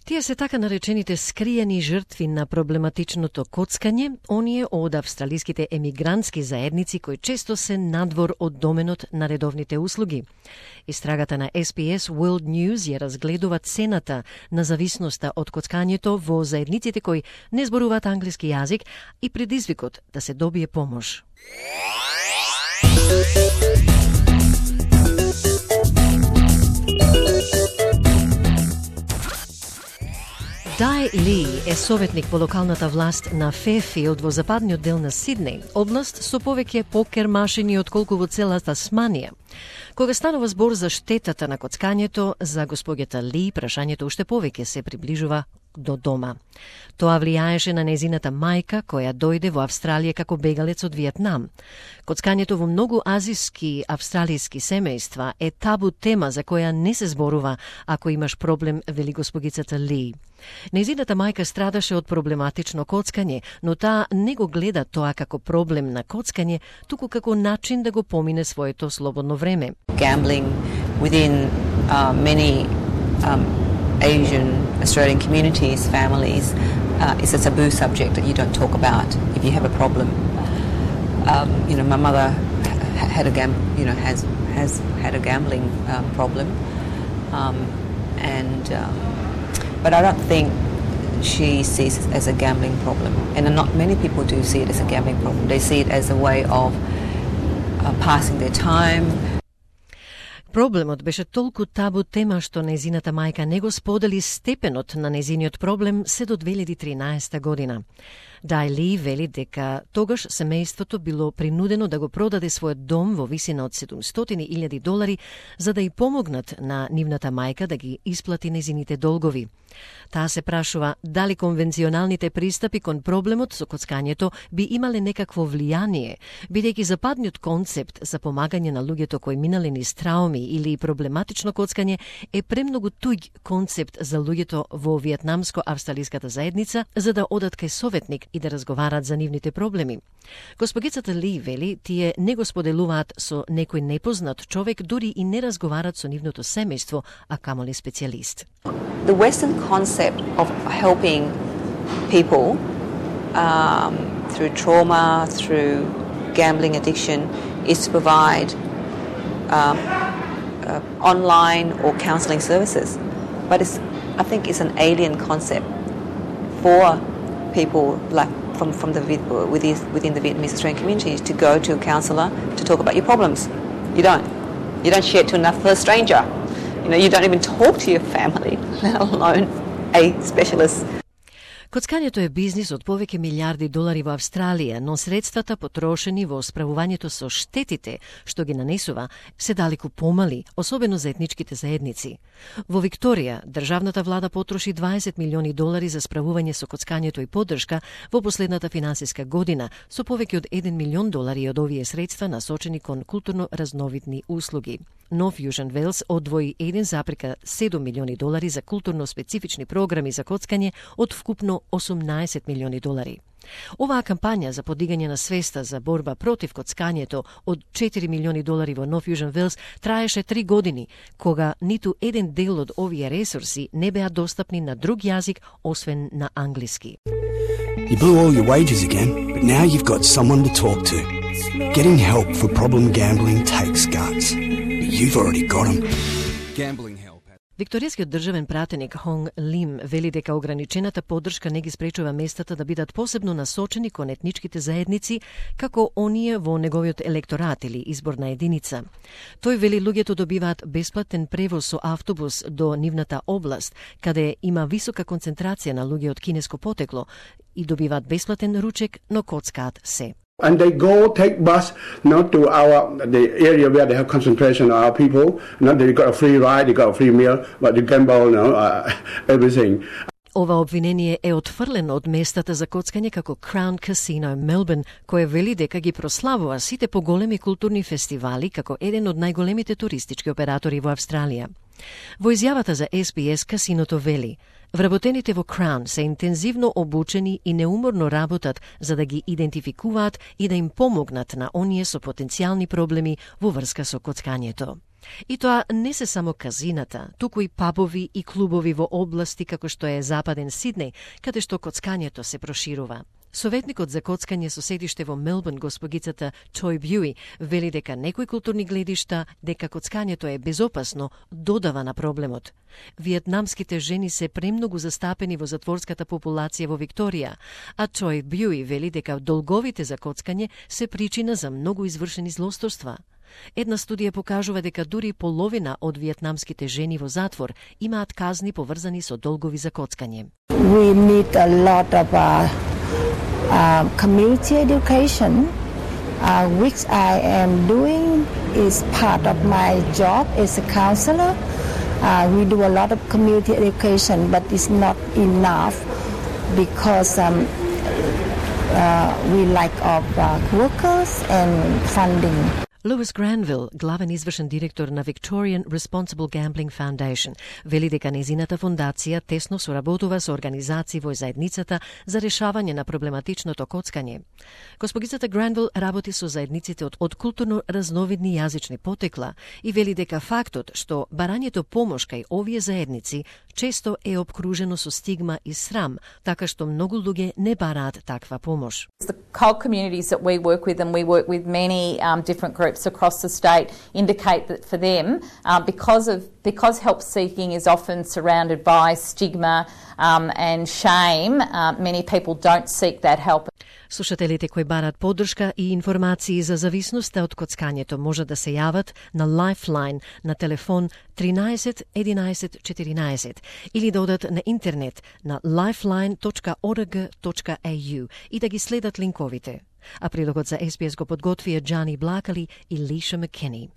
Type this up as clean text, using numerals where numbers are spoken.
Тие се така наречените скриени жртви на проблематичното коцкање, оние од австралиските емигрантски заедници кои често се надвор од доменот на редовните услуги. Истрагата на SBS World News ја разгледува цената на зависноста од коцкањето во заедниците кои не зборуваат англиски јазик и предизвикот да се добие помош. Дай Ли е советник во локалната власт на Ферфилд во западниот дел на Сиднеј, област со повеќе покер машини отколку во цела Тасманија. Кога станува збор за штетата на коцкањето, за господјата Ли прашањето уште повеќе се приближува до дома. Тоа влијаеше на незината мајка, која дојде во Австралија како бегалец од Виетнам. Коцкањето во многу азиски австралиски семејства е табу тема за која не се зборува ако имаш проблем, вели господицата Ли. Незината мајка страдаше од проблематично коцкање, но таа не го гледа тоа како проблем на коцкање, туку како начин да го помине своето слободно време. Gambling within many Asian Australian communities, families, is a taboo subject that you don't talk about if you have a problem. My mother had has had a gambling problem, but I don't think she sees it as a gambling problem, and not many people do see it as a gambling problem. They see it as a way of passing their time. Проблемот беше толку табу тема што незината мајка не го сподели степенот на незиниот проблем се до 2013 година. Дай Ли вели дека тогаш семејството било принудено да го продаде својот дом во висина од $700,000 за да ја помогнат на нивната мајка да ги исплати незините долгови. Таа се прашува дали конвенционалните пристапи кон проблемот со коцкањето би имале некакво влијание, бидејќи западниот концепт за помагање на луѓето кои минале низ трауми или проблематично коцкање е премногу туѓ концепт за луѓето во виетнамско-австралиската заедница за да одат кај советник и да разговарат за нивните проблеми. Госпогицата Ли вели, тие не го споделуваат со некој непознат човек, дури и не разговарат со нивното семејство, а камоли специјалист. The Western concept of helping people through trauma, through gambling addiction, is to provide online or counselling services. But I think it's an alien concept for people like within the Vietnamese Australian community to go to a counsellor to talk about your problems. You don't share it to another stranger. You don't even talk to your family, let alone a specialist. Коцкањето е бизнис од повеќе милиарди долари во Австралија, но средствата потрошени во справувањето со штетите што ги нанесува се далеку помали, особено за етничките заедници. Во Викторија, државната влада потроши $20 милиони за справување со коцкањето и поддршка во последната финансиска година, со повеќе од $1 милион од овие средства насочени кон културно разновидни услуги. Нов Јужен Велс одвои $1,7 милиони за културно специфични програми за коцкање од вкупно $18 милиони. Оваа кампања за подигање на свеста за борба против коцкањето од $4 милиони во Нов Јужен Велс траеше 3 години, кога ниту еден дел од овие ресурси не беа достапни на друг јазик освен на англиски. You blew all your wages again, but now you've got someone to talk to. Getting help for problem gambling takes guts, but you've already got them. Gambling help. Викторијскиот државен пратеник Хонг Лим вели дека ограничената поддршка не ги спречува местата да бидат посебно насочени кон етничките заедници, како оние во неговиот електорат или изборна единица. Тој вели луѓето добиваат бесплатен превоз со автобус до нивната област, каде има висока концентрација на луѓе од кинеско потекло и добиваат бесплатен ручек, но коцкаат се. And they go take bus not to the area where they have concentration of our people. Not they got a free ride, they got a free meal, but they gamble, everything. Ова обвинение е отфрлено од местата за коцкање како Crown Casino Melbourne, кое вели дека ги прославува сите поголеми културни фестивали како еден од најголемите туристички оператори во Австралија. Во изјавата за SBS, касиното вели: вработените во Crown се интензивно обучени и неуморно работат за да ги идентификуваат и да им помогнат на оние со потенцијални проблеми во врска со коцкањето. И тоа не се само казината, туку и пабови и клубови во области како што е Западен Сиднеј, каде што коцкањето се проширува. Советникот за коцкање со седиште во Мелбурн, госпогицата Тој Бјуи, вели дека некои културни гледишта дека коцкањето е безопасно додава на проблемот. Виетнамските жени се премногу застапени во затворската популација во Викторија, а Тој Бјуи вели дека долговите за коцкање се причина за многу извршени злосторства. Една студија покажува дека дури половина од виетнамските жени во затвор имаат казни поврзани со долгови за коцкање. We need a lot of community education, which I am doing is part of my job as a counselor. We do a lot of community education, but it's not enough because we lack of workers and funding. Lewis Granville, главен извршен директор на Victorian Responsible Gambling Foundation, вели дека незината фондација тесно соработува со организации во заедницата за решавање на проблематичното коцкање. Госпогицата Гранвил работи со заедниците од културно разновидни јазични потекла и вели дека фактот што барањето помош кај овие заедници често е обкружено со стигма и срам, така што многу луѓе не бараат таква помош. The COG communities that we work with, and we work with many different groups across the state, indicate that for them, because help seeking is often surrounded by stigma and shame, many people don't seek that help. Слушателите кои барат поддршка и информации за зависноста од коцкањето може да се јават на Lifeline на телефон 13 11 14 или да одат на интернет на lifeline.org.au и да ги следат линковите. А прилогот за SBS го подготвија Джани Блакали и Лиша Маккени.